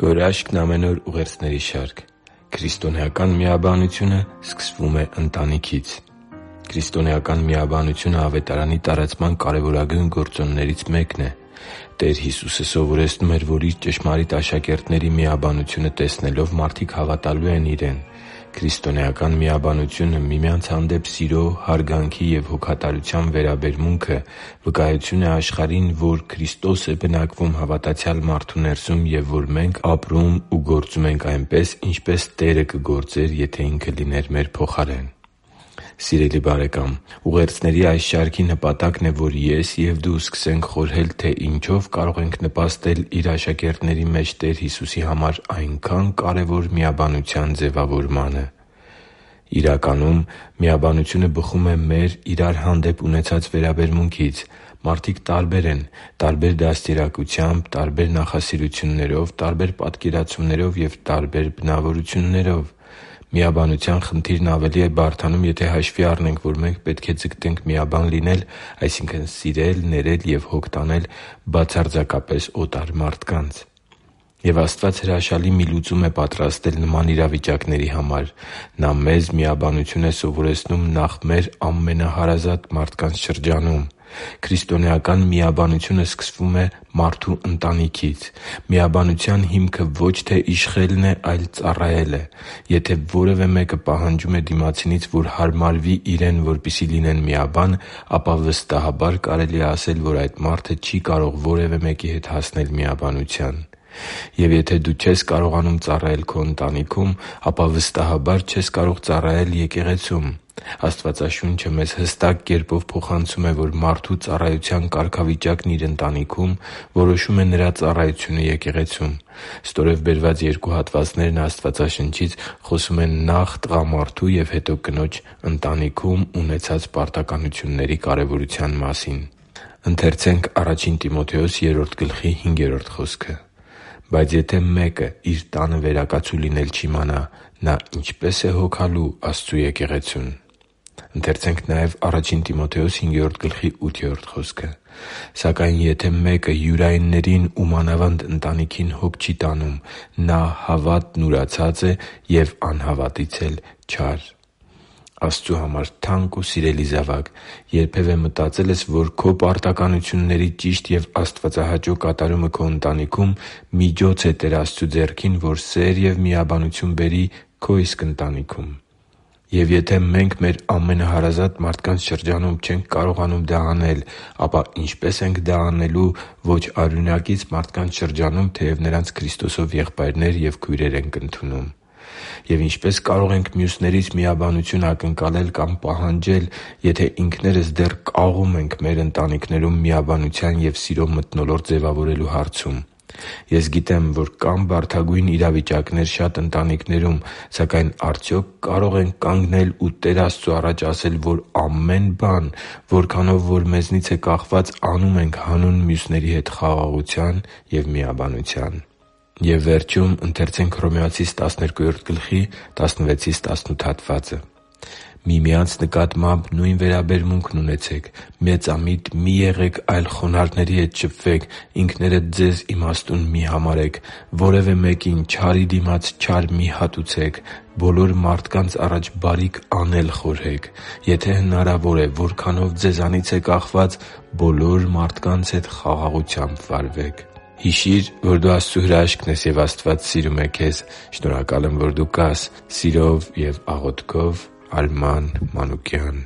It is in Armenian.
Քո հրաշքն՝ ամեն օր ուղերձների շարք։ Քրիստոնեական միաբանությունը սկսվում է ընտանիքից։ Քրիստոնեական միաբանությունը Ավետարանի տարածման կարևորագույն գործոններից մեկն է։ Տեր Հիսուսը սովորեցնում էր, որ Իր ճշմարիտ աշակերտների միաբանությունը տեսնելով մարդիկ հավատալու են Իրեն։ Քրիստոնեական միաբանությունը միմյանց հանդեպ սիրո, հարգանքի և հոգատարության վերաբերմունքը վկայություն է աշխարհին, որ Քրիստոս է բնակվում հավատացյալ մարդու ներսում և որ մենք ապրում ու գործում ենք այնպես, ինչպես Տերը կգործեր, եթե Ինքը լիներ մեր փոխարեն։ Սիրելի՛ բարեկամ, ուղերձների այս շարքի նպատակն է, որ ես և դու սկսենք խորհել, թե ինչո՞վ կարող ենք նպաստել Իր աշակերտների մեջ Տեր Հիսուսի համար այնքան կարևոր միաբանության ձևավորմանը։ Իրականում, միաբանությունը բխում է մեր իրար հանդեպ ունեցած վերաբերմունքից։ Մարդիկ տարբեր են՝ տարբեր դաստիարակությամբ, տարբեր նախասիրություններով, տարբեր պատկերացումներով և տարբեր բնավորություններով։ Միաբանության խնդիրն ավելի է բարդանում, եթե հաշվի առնենք, որ մենք պետք է ձգտենք միաբան լինել, այսինքն՝ սիրել, ներել և հոգ տանել բացարձակապես օտար մարդկանց։ Եվ Աստված հրաշալի մի լուծում է պատրաստել նման իրավիճակների համար։ Նա մեզ միաբանություն է սովորեցնում նախ մեր ամենահարազատ մարդկանց շրջանում։ Քրիստոնեական միաբանությունը սկսվում է մարդու ընտանիքից։ Միաբանության հիմքը ոչ թե իշխելն է, այլ ծառայելը։ Եթե որևէ մեկը պահանջում է դիմացինից, որ հարմարվի իրեն, որպեսզի լինեն միաբան, ապա վստահաբար կարելի է ասել, որ այդ մարդը չի կարող որևէ մեկի հետ հասնել միաբանության։ Եվ եթե դու չես կարողանում ծառայել քո ընտանիքում, ապա վստահաբար չես կարող ծառայել եկեղեցում։ Աստվածաշունչը մեզ հստակ կերպով փոխանցում է, որ մարդու ծառայության կարգավիճակն իր ընտանիքում որոշում է նրա ծառայությունը եկեղեցում։ Ստորև բերված երկու հատվածներն Աստվածաշնչից խոսում են նախ տղամարդու և հետո կնոջ ընտանիքում ունեցած պարտականությունների կարևորության մասին։ «Բայց եթե մեկը իր տանը վերակացու լինել չիմանա, նա ինչպե՞ս է հոգալու Աստծու եկեղեցուն» «Սակայն եթե մեկը յուրայիններին ու մանավանդ ընտանիքին հոգ չի տանում, նա հավատն ուրացած է և անհավատից էլ չար» (Ա Տիմոթեոս 5․8)։ Աստծու համար թանկ ու սիրելի՛ զավակ, երբևէ մտածե՞լ ես, որ քո պարտականությունների ճիշտ և աստվածահաճո կատարումը քո ընտանիքում միջոց է Տեր Աստծու ձեռքին, որ սեր և միաբանություն բերի քո իսկ ընտանիքում։ Եվ եթե մենք մեր ամենահարազատ մարդկանց շրջանում չենք կարողանում դա անել, ապա ինչպե՞ս ենք դա անելու ոչ արյունակից մարդկանց շրջանում, թեև նրանց Քրիստոսով եղբայրներ և քույրեր ենք ընդունում։ Եվ ինչպե՞ս կարող ենք մյուսներից միաբանություն ակնկալել կամ պահանջել, եթե ինքներս դեռ կաղում ենք մեր ընտանիքներում միաբանության և սիրո մթնոլորտ ձևավորելու հարցում։ Ես գիտեմ, որ կան բարդագույն իրավիճակներ շատ ընտանիքներում, սակայն արդյոք կարո՞ղ ենք կանգնել ու Տեր Աստծու առաջ ասել, որ ամեն բան, որքանով որ մեզնից է կախված, անում ենք հանուն մյուսների հետ խաղաղության և միաբանության։ «Միմյանց նկատմամբ նույն վերաբերմունքն ունեցեք. մեծամիտ մի՛ եղեք, այլ խոնարհների հետ շփվեք, ինքներդ ձեզ իմաստուն մի՛ համարեք, որևէ մեկին չարի դիմաց չար մի՛ հատուցեք, բոլոր մարդկանց առաջ բարիք անել խորհեք։ Եթե հնարավոր է, որքանով ձեզանից է կախված, բոլոր մարդկանց հետ խաղաղությամբ վարվեք» (Հռոմեացիս 12:16-18)։ Հիշի՛ր, որ դու Աստծո հրաշքն ես, և Աստված սիրում է քեզ։ Շնորհակալ եմ, որ դու կա՛ս։ Սիրով և աղոթքով, Արման Մանուկյան։